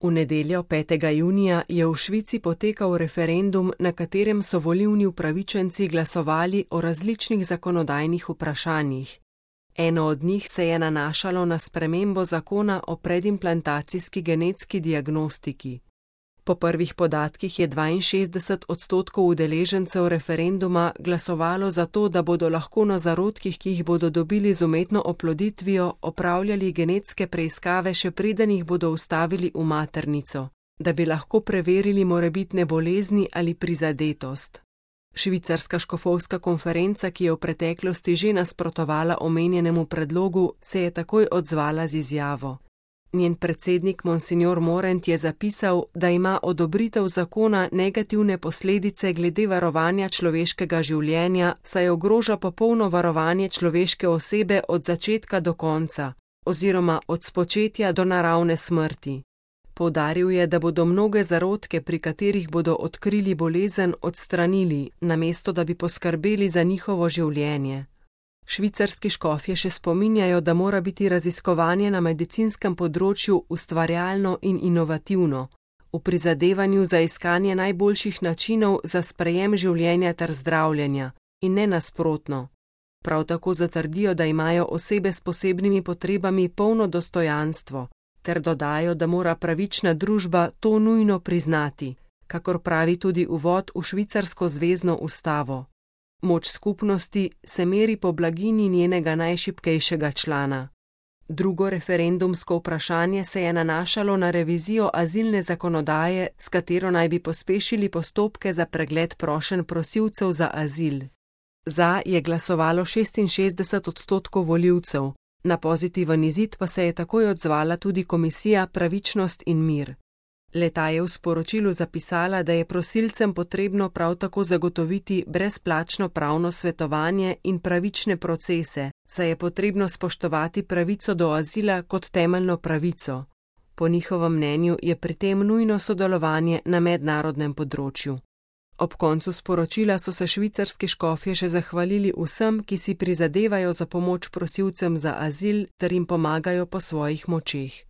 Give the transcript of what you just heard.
V nedeljo 5. junija je v Švici potekal referendum, na katerem so volilni upravičenci glasovali o različnih zakonodajnih vprašanjih. Eno od njih se je nanašalo na spremembo zakona o predimplantacijski genetski diagnostiki. Po prvih podatkih je 62% udeležencev referenduma glasovalo za to, da bodo lahko na zarodkih, ki jih bodo dobili z umetno oploditvijo, opravljali genetske preiskave, še preden jih bodo vstavili v maternico, da bi lahko preverili morebitne bolezni ali prizadetost. Švicarska škofovska konferenca, ki je v preteklosti že nasprotovala omenjenemu predlogu, se je takoj odzvala z izjavo. Njen predsednik Monsignor Morent je zapisal, da ima odobritev zakona negativne posledice glede varovanja človeškega življenja, saj ogroža popolno varovanje človeške osebe od začetka do konca, oziroma od spočetja do naravne smrti. Poudaril je, da bodo mnoge zarodke, pri katerih bodo odkrili bolezen, odstranili, namesto da bi poskrbeli za njihovo življenje. Švicarski škofje še spominjajo, da mora biti raziskovanje na medicinskem področju ustvarjalno in inovativno, v prizadevanju za iskanje najboljših načinov za sprejem življenja ter zdravljenja, in ne nasprotno. Prav tako zatrdijo, da imajo osebe s posebnimi potrebami polno dostojanstvo, ter dodajo, da mora pravična družba to nujno priznati, kakor pravi tudi uvod v švicarsko zvezno ustavo. Moč skupnosti se meri po blaginji njenega najšibkejšega člana. Drugo referendumsko vprašanje se je nanašalo na revizijo azilne zakonodaje, s katero naj bi pospešili postopke za pregled prošenj prosilcev za azil. Za je glasovalo 66% volivcev, na pozitiven izid pa se je takoj odzvala tudi Komisija Pravičnost in mir. Le-ta je v sporočilu zapisala, da je prosilcem potrebno prav tako zagotoviti brezplačno pravno svetovanje in pravične procese, saj je potrebno spoštovati pravico do azila kot temeljno pravico. Po njihovem mnenju je pri tem nujno sodelovanje na mednarodnem področju. Ob koncu sporočila so se švicarski škofje še zahvalili vsem, ki si prizadevajo za pomoč prosilcem za azil ter jim pomagajo po svojih močeh.